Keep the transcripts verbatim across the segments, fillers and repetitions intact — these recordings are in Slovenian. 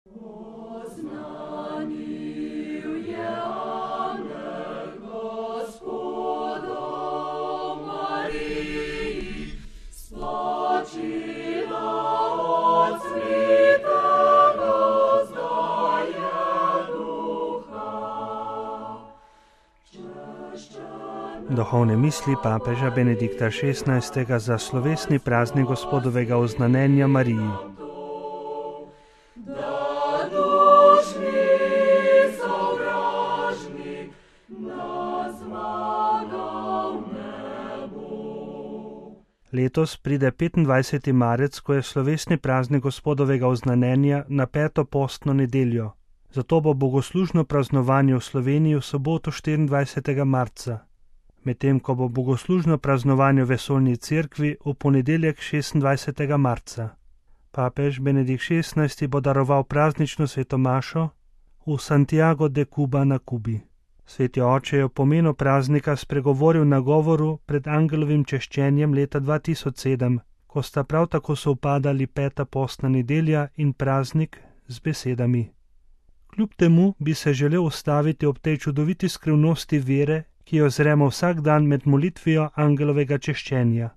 Duhovne misli papeža Benedikta šestnajstega za slovesni praznik Gospodovega oznanjenja Mariji. Letos pride petindvajseti marec, ko je slovesni praznik Gospodovega oznanjenja na peto postno nedeljo. Zato bo bogoslužno praznovanje v Sloveniji v soboto štiriindvajsetega marca. Medtem ko bo bogoslužno praznovanje v vesoljni cerkvi v ponedeljek šestindvajsetega marca. Papež Benedikt šestnajsti bo daroval praznično sveto mašo v Santiago de Cuba na Kubi. Sveti oče je o pomenu praznika spregovoril na govoru pred angelovim češčenjem leta dva tisoč sedem, ko sta prav tako sovpadali peta postna nedelja in praznik z besedami. Kljub temu bi se želel ustaviti ob tej čudoviti skrivnosti vere, ki jo zremo vsak dan med molitvijo angelovega češčenja.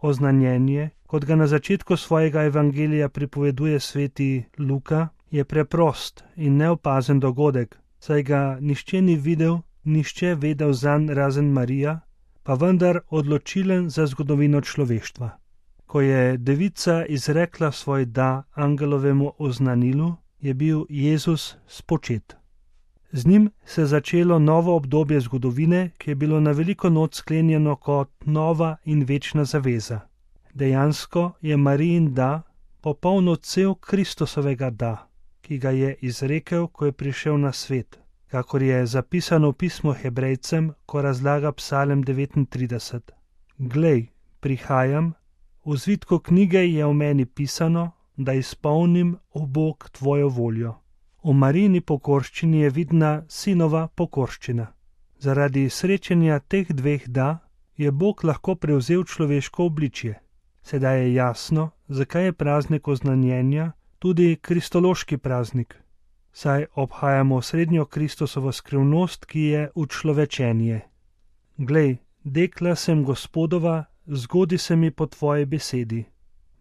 Oznanjenje, kot ga na začetku svojega evangelija pripoveduje sveti Luka, je preprost in neopazen dogodek, saj ga nihče ni videl, nihče vedel zanj razen Marija, pa vendar odločilen za zgodovino človeštva. Ko je devica izrekla svoj da angelovemu oznanilu, je bil Jezus spočet. Z njim se je začelo novo obdobje zgodovine, ki je bilo na veliko noč sklenjeno kot nova in večna zaveza. Dejansko je Marijin da popoln odsev Kristusovega da, ki ga je izrekel, ko je prišel na svet, kakor je zapisano v pismu Hebrejcem, ko razlaga Psalem devetintrideset. Glej, prihajam, v zvitku knjige je o meni pisano, da izpolnim, o Bog, tvojo voljo. V Marijini pokorščini je vidna sinova pokorščina. Zaradi srečanja teh dveh da je Bog lahko prevzel človeško obličje. Sedaj je jasno, zakaj je praznik oznanjenja tudi kristološki praznik. Saj obhajamo srednjo Kristusovo skrivnost, ki je učlovečenje. Glej, dekla sem Gospodova, zgodi se mi po tvoji besedi.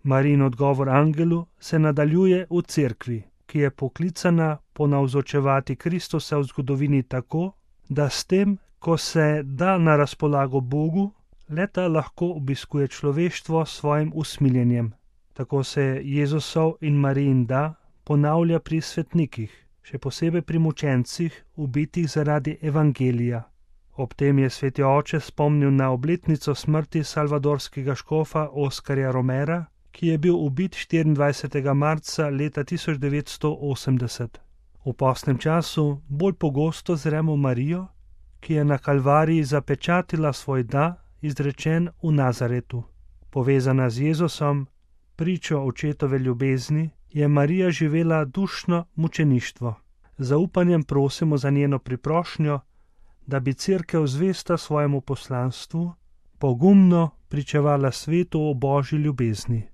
Marijin odgovor angelu se nadaljuje v cerkvi, ki je poklicana ponavzočevati Kristusa v zgodovini tako, da s tem, ko se da na razpolago Bogu, le-ta lahko obiskuje človeštvo s svojim usmiljenjem. Tako se Jezusov in Marijin da ponavlja pri svetnikih, še posebej pri mučencih, ubitih zaradi evangelija. Ob tem je sveti oče spomnil na obletnico smrti salvadorskega škofa Oskarja Romera, ki je bil ubit štiriindvajsetega marca leta tisoč devetsto osemdeset. V postnem času bolj pogosto zremo Marijo, ki je na Kalvariji zapečatila svoj da, izrečen v Nazaretu. Povezana z Jezusom, pričo očetove ljubezni, je Marija živela dušno mučeništvo. Z zaupanjem prosimo za njeno priprošnjo, da bi cerkev zvesta svojemu poslanstvu pogumno pričevala svetu o Božji ljubezni.